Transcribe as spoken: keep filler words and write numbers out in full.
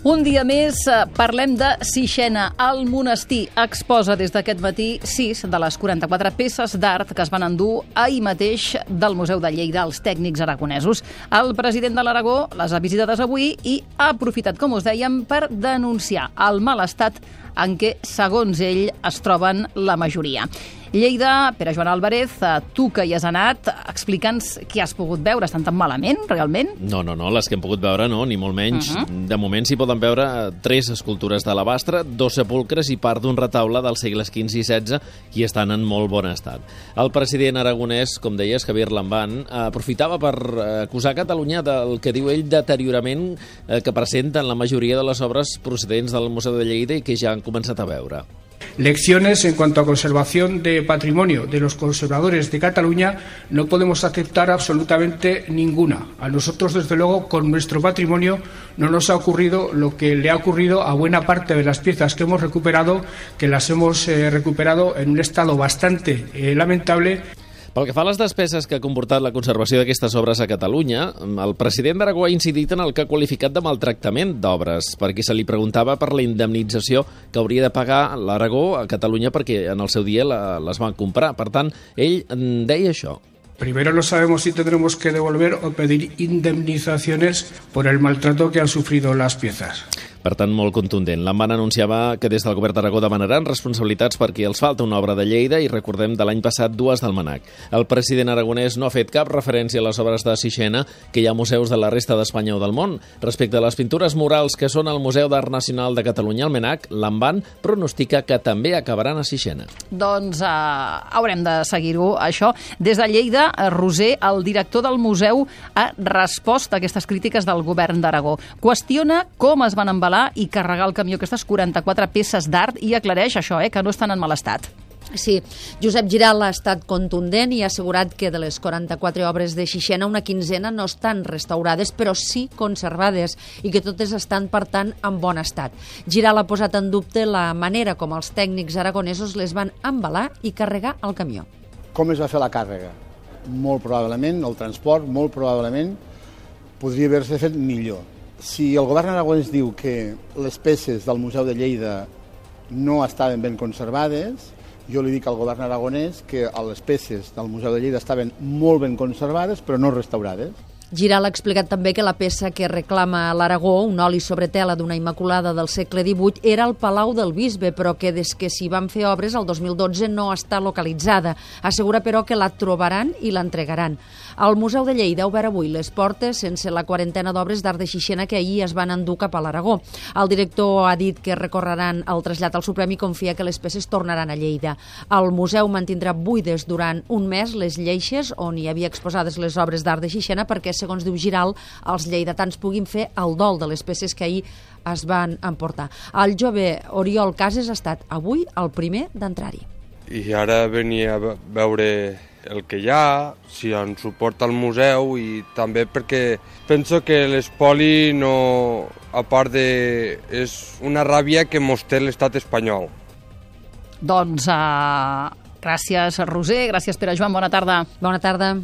Un dia més parlem de Sixena. El monestir exposa des d'aquest matí sis de les quaranta-quatre peces d'art que es van endur ahir mateix del Museu de Lleida als tècnics aragonesos. El president de l'Aragó les ha visitades avui i ha aprofitat, com us dèiem, per denunciar el mal estat en què, segons ell, es troben la majoria. Lleida, Pere Joan Álvarez, tu que hi has anat, explica'ns què has pogut veure. Estan tan malament, realment? No, no, no, les que hem pogut veure no, ni molt menys. Uh -huh. De moment s'hi poden veure tres escultures d'alabastre, dos sepulcres i part d'un retaule dels segles quinze i setze i estan en molt bon estat. El president aragonès, com deies, Javier Lambán, aprofitava per acusar Catalunya del que diu ell deteriorament que presenten la majoria de les obres procedents del Museu de Lleida i que ja han començat a veure. Lecciones en cuanto a conservación de patrimonio de los conservadores de Cataluña no podemos aceptar absolutamente ninguna. A nosotros, desde luego, con nuestro patrimonio no nos ha ocurrido lo que le ha ocurrido a buena parte de las piezas que hemos recuperado, que las hemos eh, recuperado en un estado bastante eh, lamentable. Pel que fa a les despeses que ha comportat la conservació d'aquestes obres a Catalunya, el president d'Aragó ha incidit en el que ha qualificat de maltractament d'obres, perquè se li preguntava per la indemnització que hauria de pagar l'Aragó a Catalunya perquè en el seu dia les van comprar. Per tant, ell deia això. Primero no sabemos si tendremos que devolver o pedir indemnizaciones por el maltrato que han sufrido las piezas. Per tant, molt contundent. Lambán anunciava que des del govern d'Aragó demanaran responsabilitats perquè els falta una obra de Lleida i recordem de l'any passat dues del Mnac. El president aragonès no ha fet cap referència a les obres de Sixena que hi ha museus de la resta d'Espanya o del món. Respecte a les pintures murals que són al Museu d'Art Nacional de Catalunya, al Mnac, Lambán pronostica que també acabaran a Sixena. Doncs uh, haurem de seguir-ho, això. Des de Lleida, Roser, el director del museu, ha respost a aquestes crítiques del govern d'Aragó. Qüestiona com es van embalar i carregar al camió aquestes quaranta-quatre peces d'art i aclareix això, eh, que no estan en mal estat. Sí, Josep Giral ha estat contundent i ha assegurat que de les quaranta-quatre obres de Sixena una quinzena no estan restaurades, però sí conservades i que totes estan, per tant, en bon estat. Giral ha posat en dubte la manera com els tècnics aragonesos les van embalar i carregar al camió. Com es va fer la càrrega? Molt probablement, el transport, molt probablement, podria haver-se fet millor. Si el govern aragonès diu que les peces del Museu de Lleida no estaven ben conservades, jo li dic al govern aragonès que les peces del Museu de Lleida estaven molt ben conservades però no restaurades. Giral ha explicat també que la peça que reclama a l'Aragó, un oli sobre tela d'una Immaculada del segle divuit, era el Palau del Bisbe, però que des que s'hi van fer obres el dos mil dotze no està localitzada. Assegura, però, que la trobaran i l'entregaran. El Museu de Lleida ha obert avui les portes sense la quarantena d'obres d'art de Sixena que ahir es van endur cap a l'Aragó. El director ha dit que recorreran el trasllat al Suprem i confia que les peces tornaran a Lleida. El museu mantindrà buides durant un mes les lleixes on hi havia exposades les obres d'art de Sixena perquè, segons diu Giral, els lleidatans puguin fer el dol de les peces que ahir es van emportar. El jove Oriol Cases ha estat avui el primer d'entrar-hi. I ara venia a veure el que hi ha, si ens suporta el museu i també perquè penso que l'espoli no, a part de... és una ràbia que mos té l'estat espanyol. Doncs uh, gràcies, Roser, gràcies, Pere Joan, bona tarda. Bona tarda.